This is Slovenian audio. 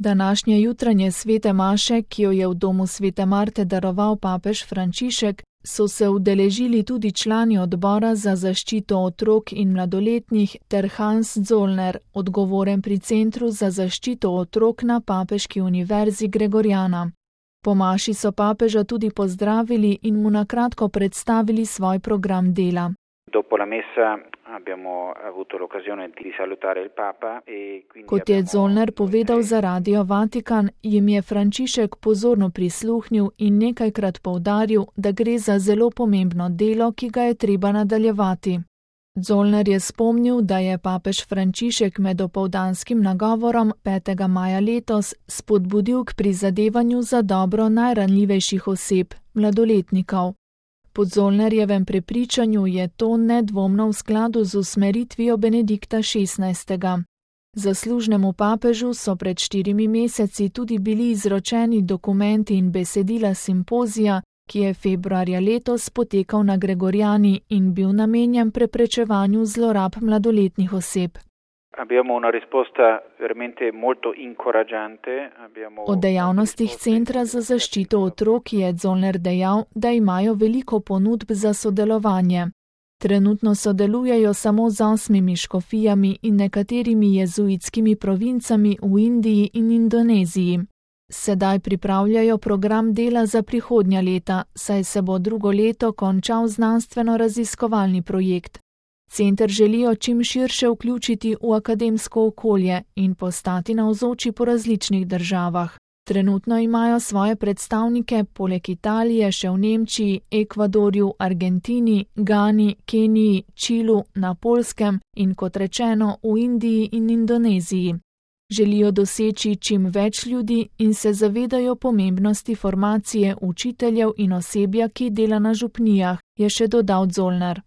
Današnje jutranje svete maše, ki jo je v domu svete Marte daroval papež Frančišek, so se udeležili tudi člani odbora za zaščito otrok in mladoletnih ter Hans Zollner, odgovoren pri Centru za zaščito otrok na Papeški univerzi Gregoriana. Po maši so papeža tudi pozdravili in mu na kratko predstavili svoj program dela. Kot je Zollner povedal za Radio Vatikan, jim je Frančišek pozorno prisluhnil in nekajkrat poudaril, da gre za zelo pomembno delo, ki ga je treba nadaljevati. Zollner je spomnil, da je papež Frančišek med opoldanskim nagovorom 5. maja letos spodbudil k prizadevanju za dobro najranljivejših oseb, mladoletnikov. Po Zollnerjevem prepričanju je to nedvomno v skladu z usmeritvijo Benedikta XVI. Zaslužnemu papežu so pred 4 meseci tudi bili izročeni dokumenti in besedila simpozija, ki je februarja letos potekal na Gregoriani in bil namenjen preprečevanju zlorab mladoletnih oseb. O dejavnostih Centra za zaščito otrok je Zollner dejal, da imajo veliko ponudb za sodelovanje. Trenutno sodelujejo samo z 8 škofijami in nekaterimi jezuitskimi provincami v Indiji in Indoneziji. Sedaj pripravljajo program dela za prihodnja leta, saj se bo drugo leto končal znanstveno-raziskovalni projekt. Center želijo čim širše vključiti v akademsko okolje in postati navzoči po različnih državah. Trenutno imajo svoje predstavnike poleg Italije še v Nemčiji, Ekvadorju, Argentini, Gani, Keniji, Čilu, na Poljskem in kot rečeno v Indiji in Indoneziji. Želijo doseči čim več ljudi in se zavedajo pomembnosti formacije učiteljev in osebja, ki dela na župnijah, je še dodal Zollner.